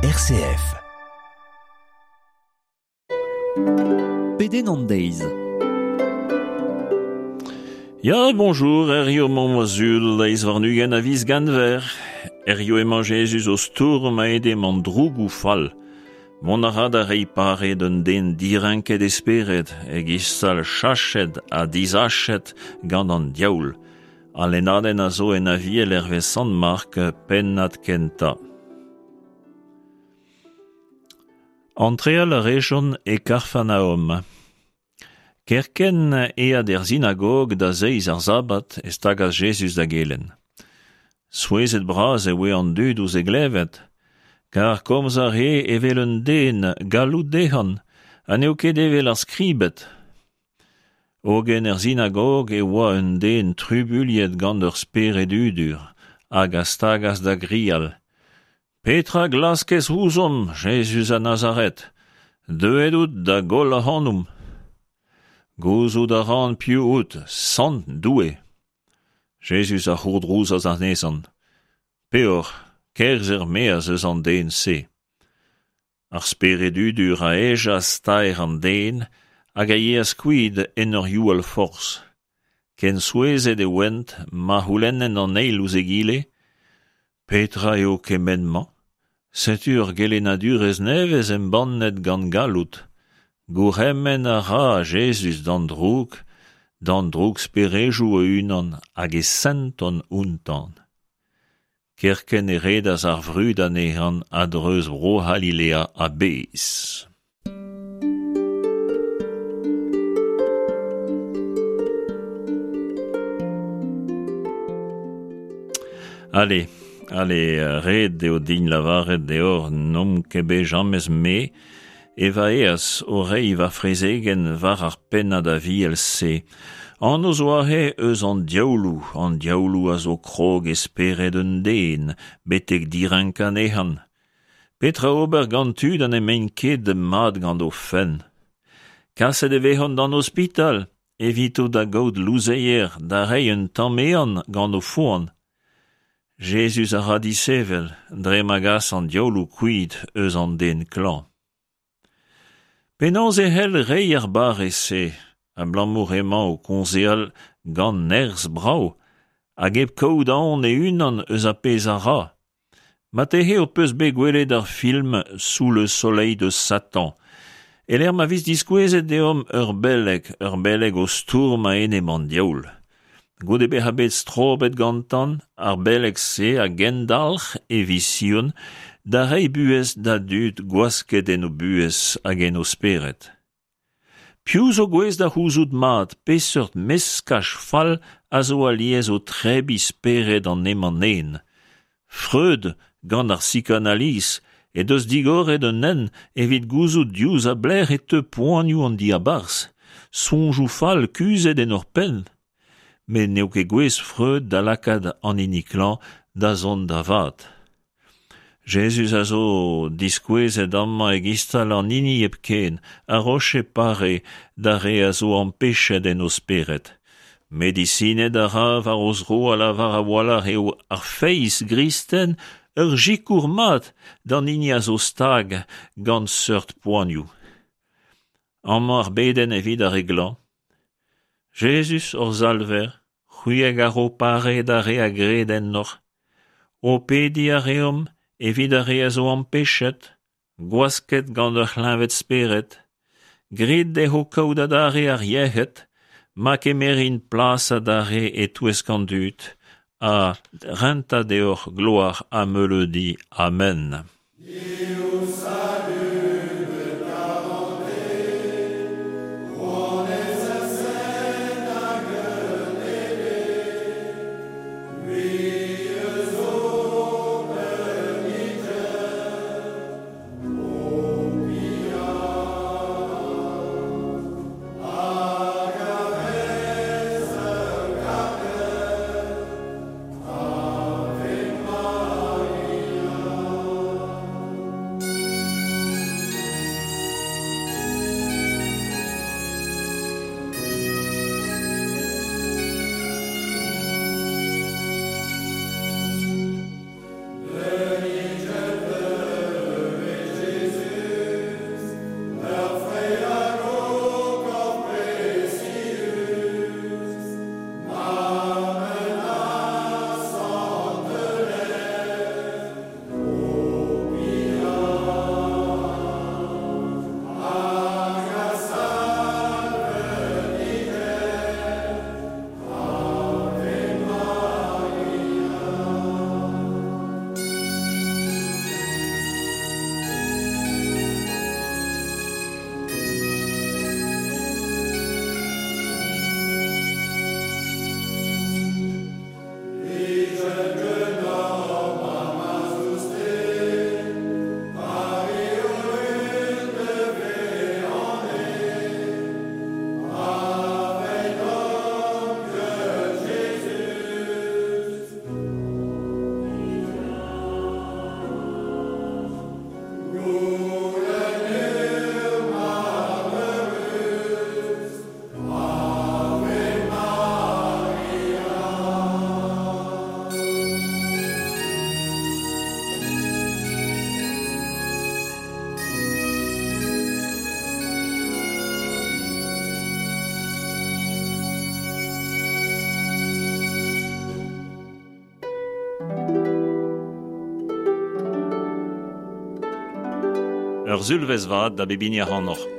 RCF. Pedenn an deiz. Ya, bonjour, herrio emañ ma zul, deiz warn-ugent a viz Genver. Herrio emañ Jezuz o stourm a-enep an drougoù fall. Mont a ra da reiñ pare d'un den direnket e spered, e-giz-sal chachet ha disachet gant an diaoul. Al lennadenn a zo en Aviel hervez Sant Mark, pennad kentañ. Antreal a rejont e Karfanaom. Kerkent eat er sinagog da zeiz ar sabbat e stagas Jezuz da gelenn. Souezhet bras e voe an dud ouzh e glevet, kar komz a rae evel un den galloud dezhañ ha n'eo ket evel ar skribed. Hogen er sinagog e oa un den trubuilhet gant ur spered hudur hag a stagas da grial Petra glaskez ouzhomp, Jezuz a Nazaret? Deuet out da goll ac'hanomp. Gouzout a ran piv out, Sant Doue. Jezuz a c'hourdrouzas anezhan. Peoc'h, kerzh er-maez eus an den-se. Ar spered hudur a hejas taer an den hag a yeas kuit en ur youal forzh. Ken souezhet e oent ma c'houlennent an eil ouzh egile Petra eo kement-mañ? Setu ur gelennadurezh nevez embannet gant galloud. Gourc'hemenn a ra Jezuz d'an droug, d'an drougsperejoù o-unan hag e sentont outañ. Kerkent e redas ar vrud anezhañ a-dreuz Bro-C'halilea a-bezh. Ale, ale, ret eo din lavaret deoc'h n'omp ket bet james me e va eas o reiñ va frezegenn war ar pennad aviel-se. Anv zo aze eus an diaouloù, an diaouloù a zo krog e spered un den, betek direnkañ anezhañ. Petra ober gant tud ha n'emaint ket mat gant o fenn? Kaset e vezont d'an ospital evito da gaout louzeier da reiñ un tamm ehan gant o foan. Jezuz a ra disevel dre ma gas an diaouloù kuit eus an den klañv. Penaos e c'hell reiñ ar barrez-se, abalamour emañ o kaozeal gant nerzh brav hag hep kaout aon e-unan eus ar pezh a ra? Marteze ho peus bet gwelet ar film Sous le soleil de Satan, e-lec'h ma vez diskouezet deomp ur beleg, ur beleg o stourm a-enep an diaoul. Goude bezañ bet strobet gantañ, ar beleg-se a gendalc'h e vision da reiñ buhez da dud gwasket en o buhez hag en o spered. Piv zo gouest da c'houzout mat peseurt meskaj fall a zo alies o trebiñ spered an emañ-nen? Freud, gant ar psikanaliz, he deus digoret un hent evit gouzout diouzh a belec'h e teu poanioù an diabarzh, soñjoù fall kuzhet en hor penn. Met n'eo ket gouest Freud da lakaat an hini klañv da zont da vat. Jezuz a zo diskouezet amañ e-giz-tal an hini hepken a roche pare d'ar re a zo ampechet en o spered. Medisined a ra war o zro a lavar a-walc'h eo ar feiz gristen ur sikour mat d'an hini a zo stag gant seurt poanioù. Amañ ar bedenn evit ar re glañv. Jezuz, hor Salver, c'hwi hag a ro pare d'ar re a gred ennoc'h. Ho pediñ a reomp evit ar re a zo ampechet, gwasket gant ur c'hleñved-spered. Grit dezho kaout adarre ar yec'hed, ma kemerint plas adarre e-touesk an dud, ha rentañ deoc'h gloar ha meuleudi. Amen. Ur sulvezh vat da bep hini ac'hanoc'h.